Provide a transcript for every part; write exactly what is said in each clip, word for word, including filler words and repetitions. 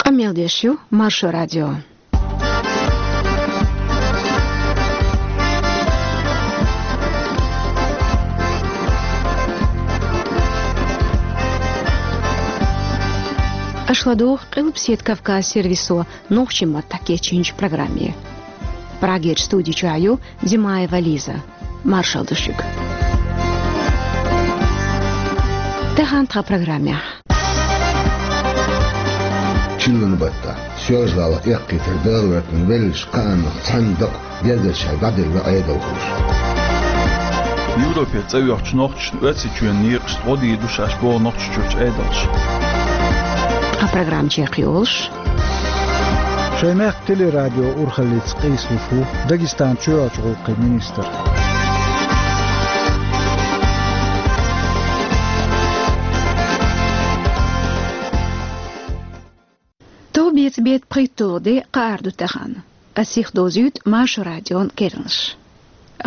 Къамел деш ю Маршо радио. Аша ладугӀу Къилбаседа Кавказ сервисо нохчийн маттахь кечйинчу программе. Прагерчу студи чохь ю Димаева Лиза. Маршалла ду шуьга. Тахана тхан программехь. Чиллан баттахь, Соьлжа-ГӀалахь эккхийтар дагӀа гӀертина веллачу кхааннах цхьаьна дакъа гергарчара дӀаделла Ӏедалхоша. Европера цӀа йоьхучу нохчашна Оьрсийчоьнан некъашца гӀо дийр ду шаьш боху Нохчийчуьрчу Ӏедалша. Тхан программа чекхйолуш. Шайн мехкан телерадио урхаллица къийсалуш ву Дагестанан чоьхьарчу гӀуллакхийн министр. Товбеца беттан пхийтталгӀа де кхаара ду тахана. Ас сихдовзуьйту Маршо радион керланаш.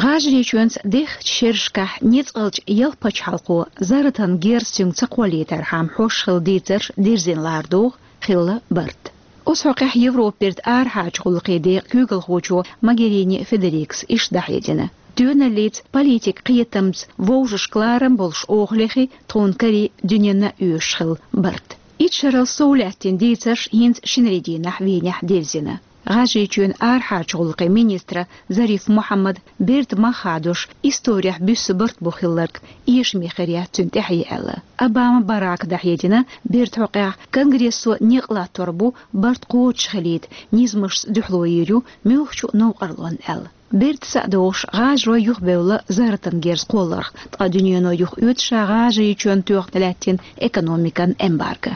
ГӀажарийчоьнца дехначу шерашкахь ницкъалчу ялх пачхьалкхо, зарратан герз цуьнга ца кхоллийтархьама хьош хилла дийцарш дирзина лара догӀу, хилла барт. Оцу хьокъехь Европерчу арахьарчу гӀуллакхийн декъан куьйгалхочо Могерини Федерикас иштта дӀахьедина: тоьналлица, политикан кхетамца вовшашка ларам болуш охалехь, тхуна карий дуьненна а оьшуш хилла барт. Итт шарал сов лаьттина дийцарш хӀинца шинарин дийнахь Венехь дирзина. ГӀажарийчоьнан арахьарчу гӀуллакхийн министра Зариф Мухьаммада берда мах хадош, исторехь буьсса барт бу хилларг эшаме хир яц цуьнан тӀаьхье аьлла. Обама Барака дӀахьедина, берда хьокъехь Конгрессо некъ латтор бу барт кхочушхилийта, низамашца дуьхьало йийр ю муьлххачу новкъарлонна аьлла. Берда са а догӀуш, гӀажарой юхабевлла зарратан герз кхолларх, ткъа дуьнено юхаоьцу ша ГӀажарийчоьнна тоьхна лаьттина экономикан эмбарго.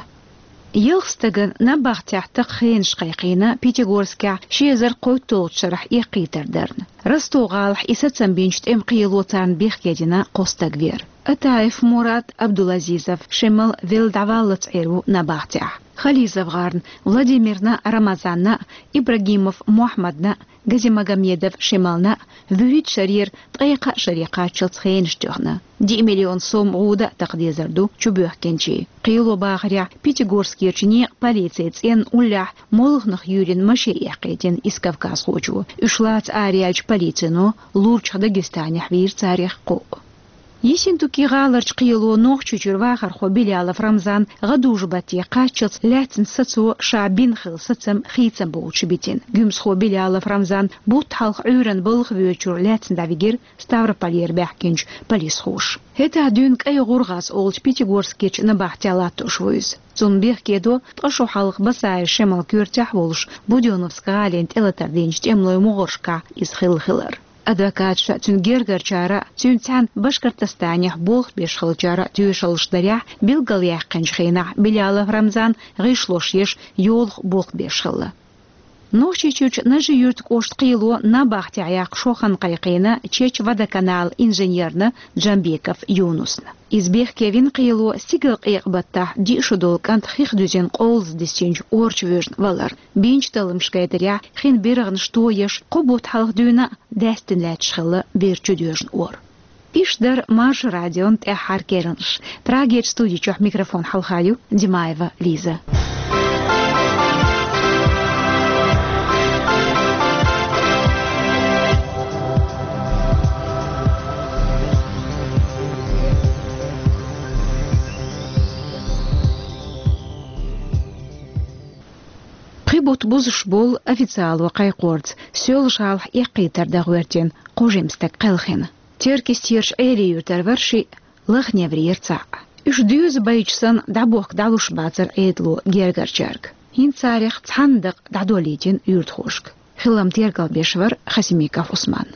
Ялх стагана набахтехь такха хенаш кхайкхийна Пятигорскехь ши эзар кхойтталгӀачу шарахь эккхийтар дарна. Ростов-гӀалахь и сацам бинчу тӀеман кхело царна бехке дина кхо стаг вер. Атаев Мурад Абдулазизов, Шемал велла дӀаваллалц Ӏер ву набахтехь. Хализов-гӀарна Владимирна а, Рамазанна а, Ибрагимов Мухьаммадна а, Газимагомедов Шемална а вуьрхӀитта шарера ткъе кхаа шаре кхаччалц хенаш тоьхна. Диъ миллион сом гӀуда а такха дезар ду чубоьхкинчийн. Кхело бахарехь, Пятигорскерчу некъан полицин цӀенна уллехь молханах юьйрина машен эккхийтина исс кавказхочо. Уьш лаца араяьлча, полицино лурчах Дагестанехь вийра царех кхоъ. Ессентуки-гӀаларчу кхело Нохчийчуьра вахархо Билялов Рамзан гӀадужу-батте кхаччалц лаьцначу сацо ша бина хилла сацам хийцам боцуш битина. Гуьмсхо Билялов Рамзан бутт хьалха Ӏуьйранна балха воьдучуьра лаьцна дӀавигира Ставрополера баьхкинчу полисхоша. ХӀетахь дуьйна КӀай ГӀургӀаз олучу Пятигорскерчу набахтехь латтош ву иза. Цунна бехке до ткъа шо хьалха Басаев Шемалан коьртехь а волуш, Будённовск гӀалина тӀелатар динчу тӀемалойн могӀаршкахь иза хилла хилар. Адвокаташа а, цуьнан гергарчара а, цуьнца цхьаьна Башкортостанехь болх беш хиллачара а тоьшаллаш дарехь, билгалъяьккхинчу хенахь Билялов Рамзан гӀишлош еш, йолах болх беш хилла. Нохчийчуьрчу Нажи-Юьртан кӀоштан кхело набахтехь яккха шо хан кхайкхийна Чечводоканалан инженерна Джамбеков Юнусна. Иза бехке вина кхело стигалкъекъа баттахь диъ шо долу кӀант хих дуьзина къовлаза дисинчу ора чу воьжна валар. Бинчу талламаша гайтарехь, хин биргӀанаш тоеш, кхо бутт хьалха дуьйна а даьстина лаьтташ хилла бер чудоьжна ора. Иштта дара Маршо радион тӀаьххьара керланаш. Прагерчу студи чохь микрофон хьалха ю Димаева Лиза. Пхи бутт бузуш болу официало кхайкхорца Соьлжа-ГӀалахь эккхийтар дан гӀоьртина кхо жима стаг кхелхина. Теркйистерчу Ӏелин-Юьртара вара шиъ, Лаха-Неврера цхьаъ. Уьш доьза байча санна дӀабохка дӀалуш бацара Ӏедало гергарчаьрга. ХӀинца царех цхьанна дакъа дӀадолийтина юьртахошка. Хилам тергалбеш вара Хасимиков Ӏусман.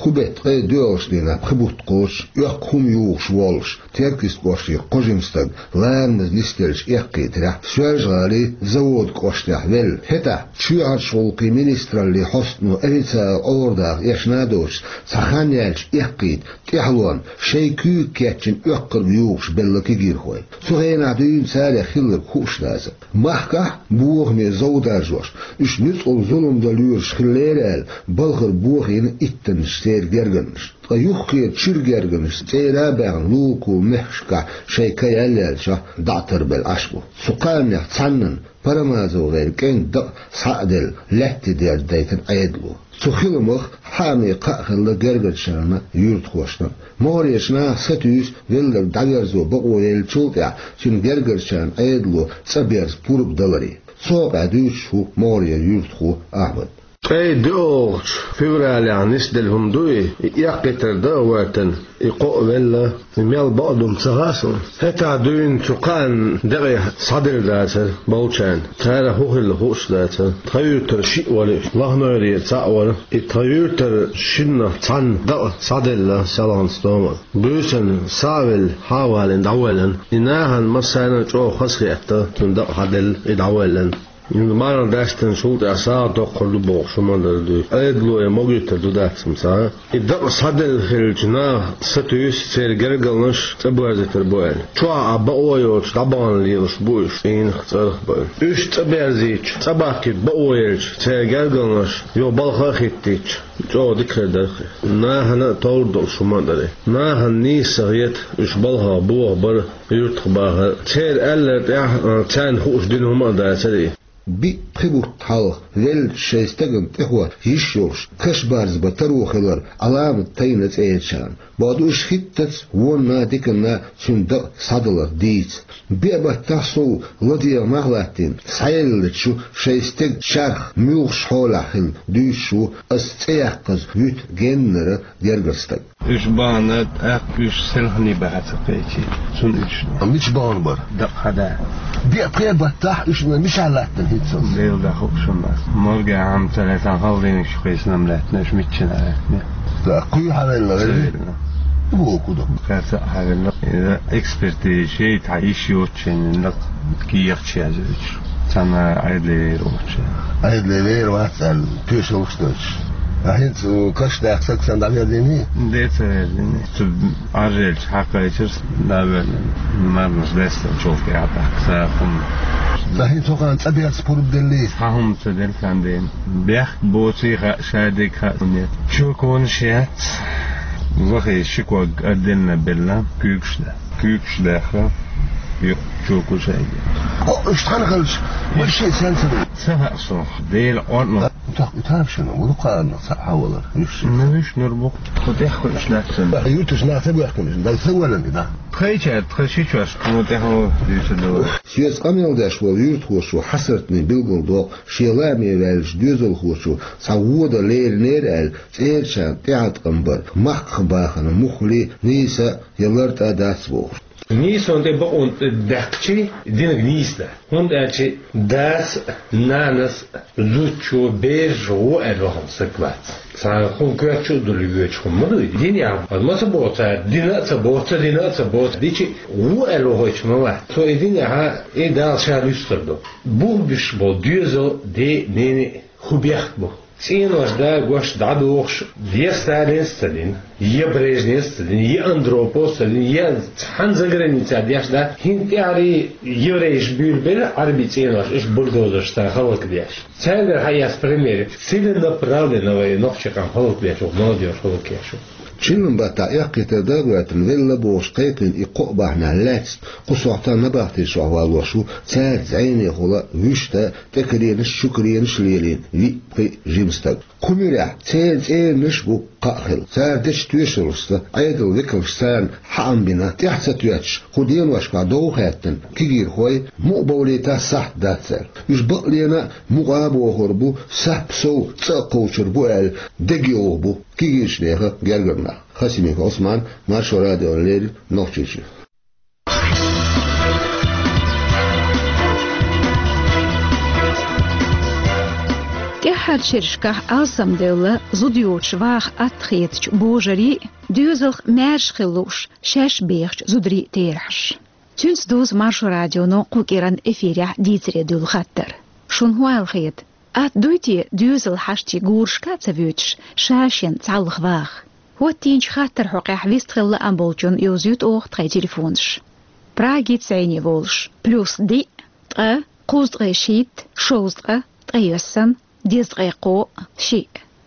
Кху беттан ткъе доьалгӀачу дийнахь пхи бутт кхочуш, оьккху хӀума юхуш воллуш, Теркйист кӀоштара кхо жима стаг ларамаза нисделлачу эккхийтарехь, Соьлжа-ГӀалин Заводан кӀоштехь велла. ХӀетахь чоьхьарчу гӀуллакхийн министраллин хьостано официалан Ӏордаха эшна а доцуш, цхьа хан яьлча эккхийта тӀаьхьалонна шайн куьйга кечйина оьккхург юхуш белла кегийрхой. Цу хенахь дуьйна царех хилларг хууш дацара. Махкахь бохаме зов даржош, уьш нуьцкъала зулам дан лоьруш хиллера аьлла, балхара бохийна иттаннаш церан гергарнаш. Ткъа юххера чуьра гергарнаш цӀера а баьхна, Лугуковн мехкашкахь шайн ка яллаьлча, дӀа а тарбелла Ӏаш бу. Цу кхаанех цхьаннан, Парамазовгар кӀентан дакъа схьа а делла, лаьтта дерза дайтина Ӏедало. Цу хиламах хьаьнга кхаъ хилла гергарчарна, юьртахошна. МогӀарерчу наха сатуьйсу велларг дӀаверзо бакъо еллачул тӀаьхьа цуьнан гергарчарна Ӏедало цӀа берза пурба даларе. Цу хьокъехь дуьйцуш ву могӀарера юьртахо Ахьмад. Ткъе доьалгӀачу февралехь нисделла хӀума ду и, и эккхийтар дӀа а гӀоьртина, и кхоъ велла, и мел бакъду-м ца хаьа суна. ХӀетахь дуьйна цу кхаанна декъе схьаделла дацара болчарна. Цара хӀун хилла хууш дацара. Тхан юьртара шиъ вара уьш, Лахнойрера цхьаъ вара. И тхан юьртара шиннах цхьанна дакъа схьаделла селхана стомара. Буьйсанна схьа а велла, хьа а валийна дӀавоьллина. И нахана массарна а чӀогӀа хазахетта, цуьнан дакъа схьаделла, и дӀавоьллина. Марха даьстинчул тӀаьхьа сагӀа доккхур ду бохуш хӀума дара дуьйцу. Ӏедало и могуьйтур ду дац-м ца. И дакъа схьаделла хиллачу наха сатуьйсу церан гергарнаш цӀа боьрзийтар бу аьлла. Чохь а бакъо йоцуш дӀабахана лелаш бу уьш, цӀийнах, цӀарах бан. Уьш цӀа берзийча, цӀа бахкийта бакъо елча, церан гергарнаш юха балха а хӀиттийча, чӀогӀа дика хир дара-кх. Нахана а товр долуш хӀума а дара. Нахана нийса ца хета, уьш балхах бохабар, юьртах бахар. Церан аьлларг тӀехь, а, царна хууш дина хӀума а дацара и. Биъ-пхи бутт хьалха веллачу шайн стагана тӀехӀотта йиш йолуш, каш барзабан таро хилар Ӏаламат тайна цӀерачарна. Бакъду, уьш хӀиттаца, вонна а, диканна а цуьнан дакъа схьадалар дийца. Биъ баттахь сов ладегӀа нах латтийна, схьаеллачу шайн стеган чарх муьлхачу хьолехь хилла дуьйцуш ву аса цӀе яккхаза вуьту геннара гергара стаг. Уьш бахана, тӀаккха уьш селхане баха ца кхечи, цунна уьш. А мича бахана бара? Дакъа хьада. Биъ-пхи баттахь уьш мичахь лаьттина хӀинца? Дела дан хууш хӀума дац. Морге хьама ца лаьцна, хала дийнахь шу кхайсина-м лаьттина, уьш миччина лаьттина. ТӀаккха кхуьй хьавелла, вели? Кхуьй хьавелла. Вокху ду. Кхаьрца а хьавелла. Иза экспертиза шейтахь йиш йоцучу шайна дакъа кехаташ яздеш. Цхьана Ӏедале вер воцуш. Ӏедале вер вац аьлла, тоьшаллаш доцуш. Ткъа хӀинца каш даьккха стаг санна дӀаверзийний? Де ца верзийний. Цу Ӏаржъелча хьакхайчира, дӀавоьллина. Марнаш даьстина чул тӀаьхьа тӀаккха сагӀа хӀума. Ткъа хӀинца хӀокхарна цӀа берза пурба деллий? Цхьа хӀума ца делла царна дена. Бехк боций хаьа, шадерг хаьа, хӀун яц. Чоконаш яц. Вахе ши ког а денна белла, куьйгаш да. Куьйгаш даьхна, юкъа чокуш а йигна. Хьо, уьш тхьана хилча, вай шиъ сенца ду? Ца хаьа суна, Дела къонтӀа. Тахка и тамашийна, вуно кхааннах цхьаъ хьавалар, уьш. Ну, уьш нур бу. Кху тӀехь хуьлуш лаьцна. Юьрташ нах ца боьхкина, дан ца валан и, да? Тхайчаьрга тхан ши чош, кху тӀехь дуьйцур ду. Соьца къамел деш волу юьртахочо хьасартне билгалдоккху, шен лааме ваьллачу доьзалхочо цхьа вон дан леринера аьлла, цӀерачарна тӀеӀаткъам бар, махках бахана муххале а, нийса а я лартӀа а дац бохуш. Нийсонан тӀе бакъонан тӀе даьккхичий, динарг нийса дан. ХӀунда аьлча дас а, нанас а, зудчо, бераш а вон аьлла вахана стаг вац. Цхьа хӀума коьртачу а дуьллуш воьдуш хӀума ма дуй. Дин яхь, ма ца боху цара, дина а ца боху, ца дина а ца боху, дичи а вон аьлла вахийтуш ма вац. Цо и дин яхь, и Дала ша дуьсур ду. Бух буьсуш болу доьзал, ден а, ненан а хӀун бехк бу? ЦӀенош дагош, дӀадохуш, я Сталинс ца дина, я Брежневс ца дина, я Андроповс ца дина, я цхьана заграница деш дан, хӀинца тӀаьхьарий еврейш буьйлабелла Ӏарбийн цӀенош, уьш бульдозершца хӀаллакдеш. Цаьргара хьаэцна пример, целенаправленно вай нохчийн къам хӀаллакдеш ву, молодёжь хӀаллакъеш ву. Чиллан баттахь эккхийтар дӀа а гӀоьртина, велла бохуш кхайкхийна и кхоъ бахьанехь лаьцна, кху сохьта набахти чохь валлош ву, цаьрца зӀенехула вуьшта тӀекаренаш, чукаренаш а лелийна виъ-пхиъ жима стаг. Кху муьрехь церан цӀеранаш а бу кхаъ хилла. Цара дечу тоьшаллашца, Ӏедалан векалша царна хьаам бина, тӀаьхьа ца тоьттуш, кху деношкахь дов а хаьттина кегийрхой, мукъа бовлийтахь сахьт дац аьлла. Уьш бакъ лена а мукъа а бохур бу, сап сов цӀа а кхочур бу аьлла, дегайовхо бу кегийрачу нехан гергара нах. Хасимиков Ӏусман, Маршо радиона леррина, Нохчийчуьра. ТӀаьххьарчу шерашкахь алсамдевлла зуда йоцуш ваха атта хетачу божарийн а, доьзалх маьрша хила лууш шаьш бехачу зударийн а терахьаш. Цуьнца дузу Маршо радионо кху кӀиранан эфирехь дийцаре дуьллу хаттар. Шуна хӀун аьлла хета? Атта дуй те доьзал хьаштий гурашка а ца воьдуш, ша-шен цхьаллах ваха? ХӀоттийначу хаттаран хьокъехь вистхила лаам болчунна йовзуьйту оха тхайн телефонаш. Прагица зӀене волуш: плюс диъ, ткъа, кхузткъе шийтта, шовзткъа, ткъайоьсна, дезткъе кхоъ, шиъ.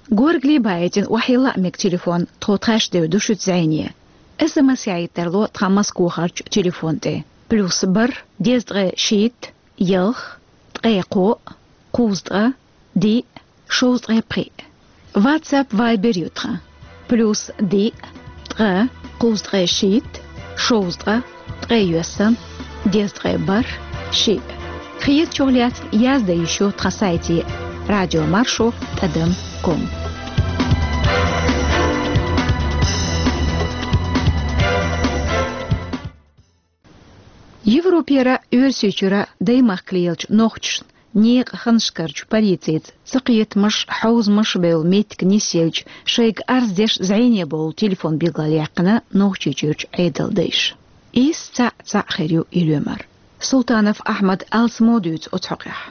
Горгали баьтина охьайилла а мега телефон, тхо тхаьш девр ду шуьца зӀене. СМС яхьийтар ло тхан Москвахарчу телефон тӀе. Плюс бархӀ, дезткъе шийтта, ялх, ткъе кхоъ, кхузткъа, диъ, шовзткъе пхиъ. WhatsApp, Viber ю тхан. Плюс диъ, ткъа, кхузткъе шийтта, шовзткъа, ткъе йоьсна, дезткъе бархӀ, шиъ. Хетачух лаьцна яздан йиш ю тхан сайте радиомаршо тӀадам ком. Европера, Оьрсийчуьра даймахкалелачу нохчашна некъан ханашкарчу полицица цакхетамаш, хьовзамаш бевлла меттиг нисъелча, шайга арз деш зӀене бовла телефон билгалъяьккхина Нохчийчуьрчу Ӏедалдайша. Иза цхьаъ-цхьаъ хир ю и лоьмар. Султанов Ахьмада алсамо дуьйцу оцу хьокъехь.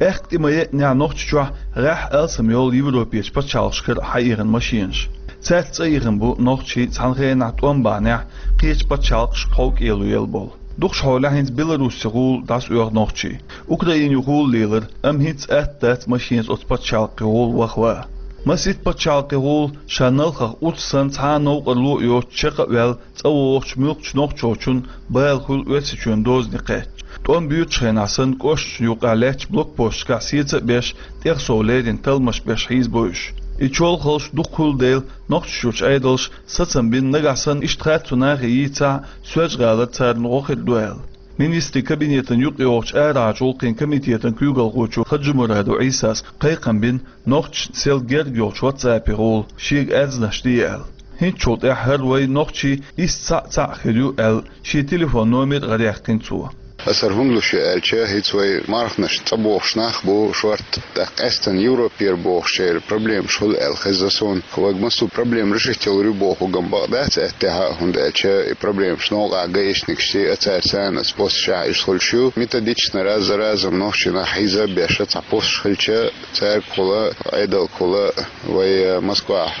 Аьхка тӀе ма еънехь, Нохчийчохь гӀеххьа алсам йолу Европерчу пачхьалкхашкара хьаихина машенаш. Цаьрца цӀа ихина бу нохчий цхьана хенахь тӀом бахьанехь кхечу пачхьалкхашка хьовкӀело елла болу. Дукхахьолехь хӀинца Беларусин гӀула дӀасаоьху нохчий. Украинехула лелара, амма хӀинца атта дац машенца оцу пачхьалкхийн гӀула ваха ван. Масийтта пачхьалкхийн гӀула ша налхах урс санна цхьа а новкъарло а йоцуш чекх а ваьлла, цӀа вогӀучу муьлххачу нохчочун бала хуьлу Оьрсийчоьнан дозане кхаьчча. ТӀом буьйцучу хенахь санна, кӀошташна юкъахь лаьттачу блокпосташкахь сецам а беш, тӀехсовлерина талламаш беш хьийзабо уьш. И чолхалш дукха хуьлу дела, Нохчийчуьрчу Ӏедалша сацам бина, нагахь санна иштта харцо нахе йийцахь, Соьлжа-ГӀалара царна гӀо хир ду аьлла. Министрийн кабинетан юкъайогӀучу арахьарчу гӀуллакхийн комитетан куьйгалхочо Хаджимурадов Ӏийсас кхайкхам бина, нохчашна сел герга йолчу WhatsApp-ийн гӀула шега арзанаш де аьлла. ХӀинцачул тӀаьхьа хӀара вай нохчий иза цхьаъ-цхьаъ хир ю аьлла, шен телефон номер а гӀараяьккхина цо. Аса хӀара хӀунда луш ю аьлча, хӀинца вай марханаш цӀа бохуш нах бу шорта, тӀаккха къаьстина Европера бохучеран проблемаш хуьлу аьлла хезна суна. Вайга массо а проблема решить йалур ю бохург-м бакъ дац, аьттехьа а, хӀунда аьлча и проблемаш новкъахь гаишникашций а, цара царна оцу посташкахь иштта хуьлуш ю. Методично раз за разом нохчий нах хьийза а беш, цхьа посташ хилча, цаьргахула, Ӏедалгахула, вай, э, Москвахь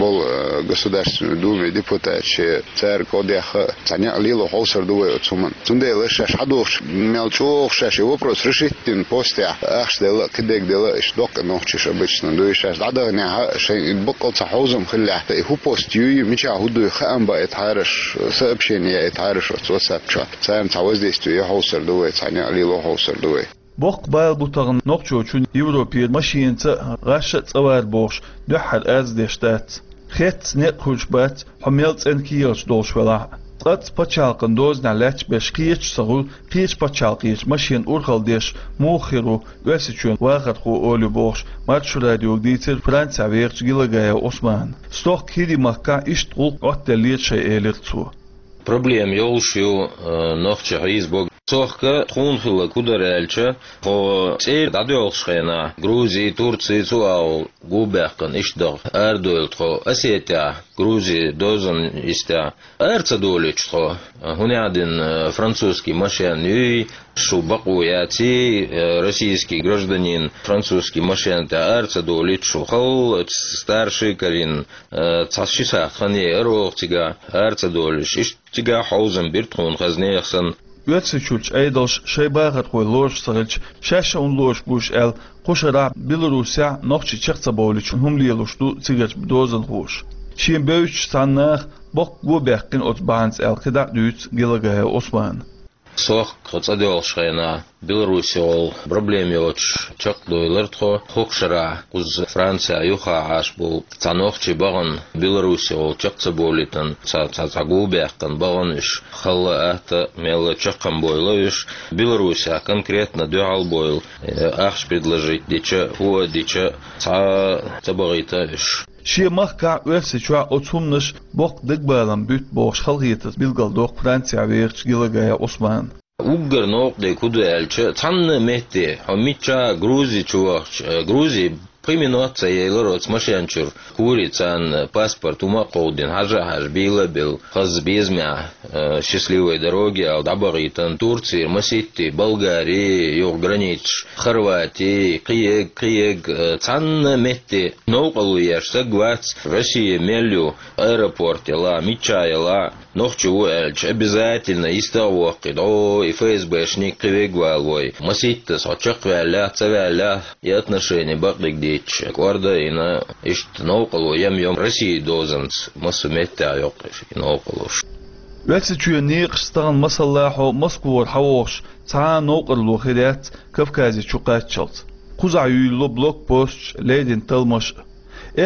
болу, э, Государственный Думин депутаташ, цаьрга кхо дехха а, цхьа некъ лело хьовсур ду вай оцу хӀуманна. Цундела шаьш хьадогӀуш, мел чӀогӀа шаьш и вопрос решить дина постехь, ахча делла а, кхидерг делла а, иштта доккха нохчий уьш обычно ду, и шаьш дӀадаханехь а, шайн и баккъал цхьа хьовзам хиллехь, и хӀун пост юй, мичахь хӀун дуй, хаам баийтахьара уьш, сообщение яийтахьара уьш оцу WhatsApp чохь. Царна цхьа воздействие ян хьовсур ду вай, цхьа некъ лело хьовсур ду вай. Боккха бала бу тахана нохчочун Европера машенаца а, гӀаш а цӀа вар бохуш, дуьххьара арз деш дац. Хецна некъ хуьлуш бац, хьо мел цӀена кехаташ долуш велахь а. Цкъаццалц пачхьалкхан дозанехь лаьтташ берш кхечаш ца хуьлу, кхечу пачхьалкхечу машенан урхалла деш муха хир ву Оьрсийчоьнан вахархо олий бохуш, Маршо радиога дийцира Францехь вехачу Гелагаев Ӏусмана. Стохка ХӀирийн махкахь иштта гӀуллакх Ӏоттаделлера шайн, элира цо. Проблема йолуш ю, э, нохчий хьийзабо. Стохка тхуна хилларг хӀун дара аьлча, тхо цӀера дӀадоьлхуш хенахь, Грузи, Турци, цу агӀор гу баьккхина иштта даха арадойла тхо Осетехь, Грузи дозанна йистехь, ара ца долуьйтуш тхо. ХӀунда аьлла, французский машен юй, шу бакъо яций, э, российский гражданин французский машен тӀехь ара ца долуьйтуш шу, халла старший карийна, э, цхьа ши сахьт хан яй ара оха цигахь, ара ца долуьйтуш. Иштта цигахь хьовзам бира тхуна хазнех санна. Оьрсийчуьрчу Ӏедалша шайн бахархой лоруш ца хилча, шаьш а хӀунда лоруш бу уьш аьлла, кху шарахь Беларусехь нохчий чекх ца бовлуьйтуш хӀума лелош ду цигарчу дозанхоша. Шена бевзачу цхьана наха боккха го баьккхина оцу бахьанца аьлла, кхидӀа а дуьйцу Гелагаев Ӏусмана. Стохка тхо цӀа доьлхуш хенахь, Беларусехула проблема йоцуш чекхдевлира тхо. ХӀокху шарахь кхуза Францехь юххехь Ӏаш болу цхьа нохчи бахана, Беларусехула чекх ца бовлийтина, цхьа, цхьа, цхьа го баьккхина бахана уьш. Халла а, атта а, мелла а чекхбевлла уьш. Беларусехь конкретно дуьхьал бевлла, э, ахча предложить дича, фу а дича, цхьа а ца бахийта уьш. Шен махкахь, Оьрсийчохь оцу хӀуманаша боккха дагабалам буьту бохуш, халахетарца билгалдоккху Францехь вехачу Гелагаев Ӏусмана. Уггар новкъа дерг хӀун ду аьлча, цхьанна а метте, хьо миччахь а Грузи чу вахча, э, Грузи пхи минот ца елира оцу машен чуьра. Кури царна паспорт хӀума а кховдийна, хьажа а хьаьжна, бийла а белла, хаза безамехь, э, счастливой дороги аьлла, дӀабахийтина. Турцера масийтта, Болгари, юха границаш, Хорвати, кхиерг, кхиерг, э, цхьанна а метте новкъарло еш стаг вац, Россия мел ю, аэропорт ялахь, миччахь ялахь, Нохчо ву аьлча, обязательно йистехь воккхий, дӀо и ФСБ-шник кхин вегвала вой. Маситтаза хьо чекхваьллехь, ца ваьллехь, и отношени бакъдерг дийцча, кӀорда а йина, иштта новкъарло ям-йом России дозанца массо а меттехь йоккхуш и новкъарлош. Оьрсийчоьнан некъаш стагана масаллахьо Москвара хьавогӀуш цхьа а новкъарло хир яц Кавказе чу кхаччалц. Кхузахь юьйлало блокпосташ, леррина талламаш а.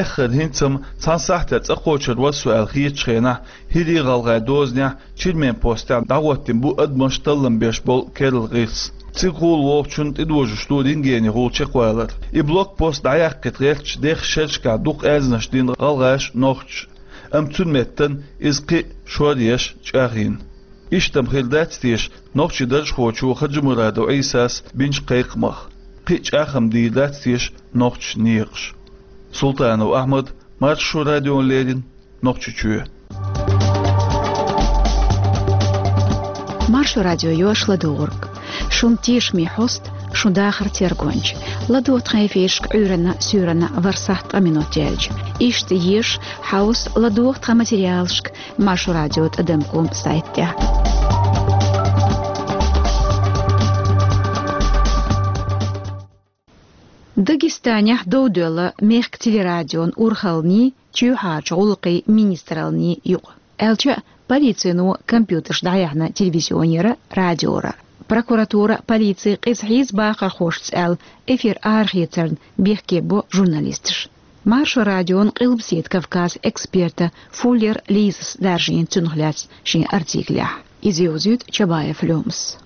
Эххар хӀинца-м цхьана сахьтехь цӀа кхочур вара со аьлла хетачу хенахь, ХӀирийн-ГӀалгӀайн дозанехь Чермен постехь дӀахӀоттийна бу адамаш таллам беш болу керла гӀирс. Цига гӀур вогӀучунна тӀедожош ду рентгенехула чекхвалар. И блокпост дӀаяьккхийта гӀертачу дехха шерашкахь дукха аьрзнаш дина гӀалгӀаша, нохчаша. Амма цуьнан меттана иза кхин а шоръеш, чӀагӀйина. Иштта-м хир дац теша нохчийн даржхочо Хаджимурадов Ӏийсас бинчу кхайкхамах. Кхин а чӀагӀ-м дийр дац теша нохчийн некъаша. Султанов Ахьмад, Маршо радиона леррина, Нохчийчоь. Маршо радио ю аш ладугӀург. Шун тешаме хьоста, шун дахар тергонча. ЛадогӀа тхан эфирашка Ӏуьйранна, суьйранна ворхӀ сахьт ткъа минот яьлча. Иштта еша, хьовса, ладогӀа тхан материалашка Маршо радио тӀадам ком сайт тӀехь. Дагестанехь дов доьлла мехкан телерадион урхаллиний, чоьхьарчу гӀуллакхийн министраллиний юкъа. Аьлча а, полицино компьютерш дӀаяьхьна телевизионера, радиора. Прокуратура, полици къиза хьийза бахархошца аьлла, эфир арахецарна бехке бо журналисташ. Маршо радион Къилбаседа Кавказан эксперта Фуллер Лизас даржийна цунах лаьцна шен артиклехь. Иза йовзуьйту Чабаев Лёмас.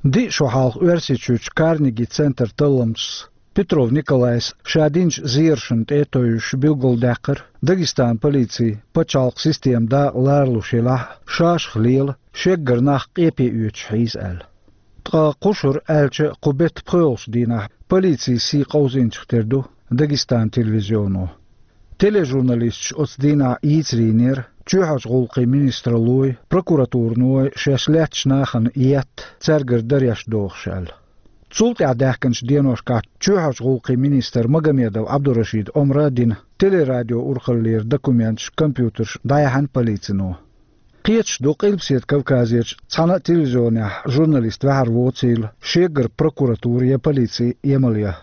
Диъ шо хьалха Оьрсийчуьрчу Карнеги центран талламчас Петров Николайс ша динчу зерашна тӀе а тевжаш билгалдаьккхира Дагестанан полицин пачхьалкхан система дакъа ларалуш елахь а, шашах лела, шеггара нах къепе оьцуш хьийза аьлла. Ткъа кху шарахь, аьлча а, кху беттан пхоьалгӀачу дийнахь полицин сий къовзийначух тера ду Дагестанан телевизионо. Тележурналисташ оцу дийнахь йийцар йинера чоьхьарчу гӀуллакхийн министраллой, прокуратураной шаьш лаьттачу нахана етта, цаьргара дареш дохуш аьлла. Цул тӀаьхьа даьхкинчу деношкахь чоьхьарчу гӀуллакхийн министра Магомедов Ӏабдурашида омра а дина, телерадион урхаллера документаш, компьютерш дӀаяьхьна полицино. Кхеташ ду, Къилбаседа Кавказерчу цхьана а телевизионехь журналист ваьхьар воцийла, шегара прокуратура я полици емал ян.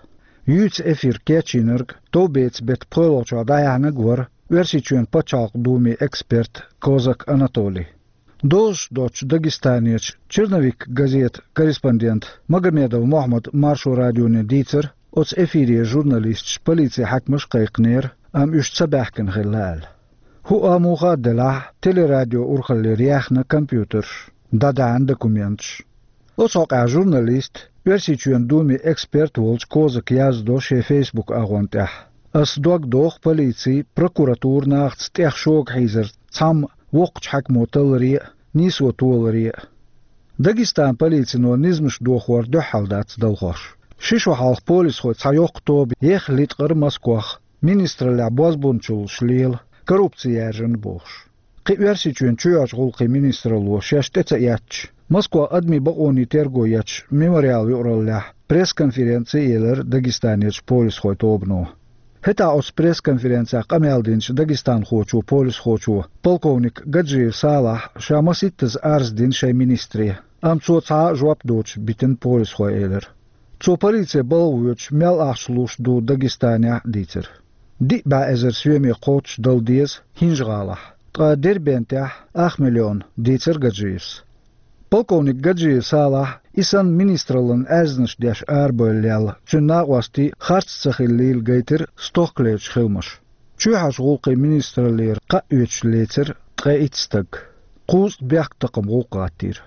Юьйцу эфир кечйинарг товбецан беттан пхоьалгӀачохь дӀаяьхьнарг вара Оьрсийчоьнан пачхьалкхан думин эксперт Козак Анатолий. Дозуш доцчу Дагестанерчу «Черновик» газетан корреспондента Магомедов Мохьмада Маршо радионе дийцира, оцу эфире журналисташ полицин хьаькамаш а кхайкхинера, амма уьш ца баьхкина хилла аьлла. ХӀуъа а, муха а делахь а, телерадион урхаллера яьхна компьютерш, дӀадаьхьна документаш. Оцу хьокъехь журналиста, Оьрсийчоьнан думин эксперт волчу Козака яздо шен Facebook агӀон тӀехь: «Ас дог доху полици, прокуратура нахаца тӀех шога хьийзар цхьамма воккхачу хьаькамо талларе а, нийсо толаре а. Дагестанан полицино низамаш дохор дуьххьал дац далхош. Ши шо хьалха полисхойн цхьа йоккха тоба ехха литкъира Москвахь, министраллехь бозбунчаллаш лела, коррупци яьржина бохуш. Кхин Оьрсийчоьнан чоьхьарчу гӀуллакхийн министралло шаьш тӀе ца эцча, Москвахь адамийн бакъонийн терго ечу «Мемориал» юкъараллехь пресс-конференци а елира Дагестанерчу полисхойн тобано. ХӀетахь оцу пресс-конференцехь къамел динчу дагестанхочо, полисхочо, полковник Гаджиев Салахь ша масийттаза арз дина шайн министре, амма цо цхьа а жоп доцуш битина полисхой», — элира. Цо полице балха воьдуш мел ахча луш ду Дагестанехь а дийцира. Диъ бӀе эзар соьме кхоччуш дала деза ХӀинжа-ГӀалахь, ткъа Дербентехь ах миллион, дийцира Гаджиевс. Полковник Гаджиев Салахь, и санна министраллина аьрзнаш деш арабевлла лелла, цуьнан накъостий харц ца хиллийла гайтира стохкалерчу хиламаш. Чоьхьарчу гӀуллакхийн министраллера кхаъ оьцуш лецира ткъе итт стаг. Кхузткъа бехктакхаман гӀуллакх гӀаттийра.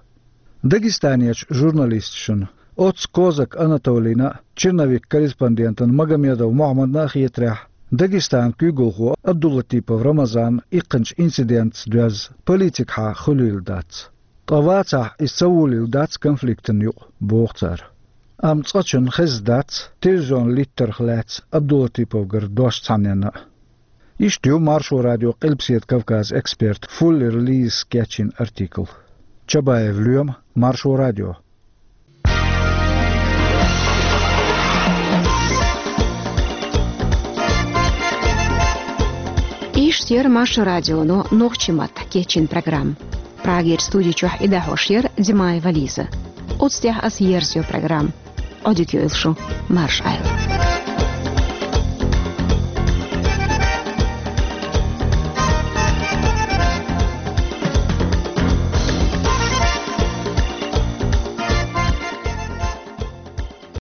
Дагестанерчу журналисташна, оццу Козак Анатолийна а, «Черновик» корреспондентана Магомедов Мохьмадна а хетарехь, Дагестанан куьйгалхо Абдулатипов Рамазан иккхинчу инцидентца доьзна политикахьа хуьлийла дац. Ткъа вацахь, иза ца волийла дац конфликтана юкъа, боху цара. Амма цкъачунна хезна дац телевизионан литтарх лаьцна Абдулатиповгара дош цхьанненна а. Иштта ю Маршо радион Къилбаседа Кавказан эксперт Фуллер Лизас кечйина артикл. Чабаев Лоьма, Маршо радио. Иштта Яр Маршо радионо нохчийн маттахь кечйина программа. Прагерчу студи чохь и дӀахьош яра Димаева Лиза. Оцу тӀехь аса ерзайо программа. Ӏодика йойла шу, марша Ӏайла.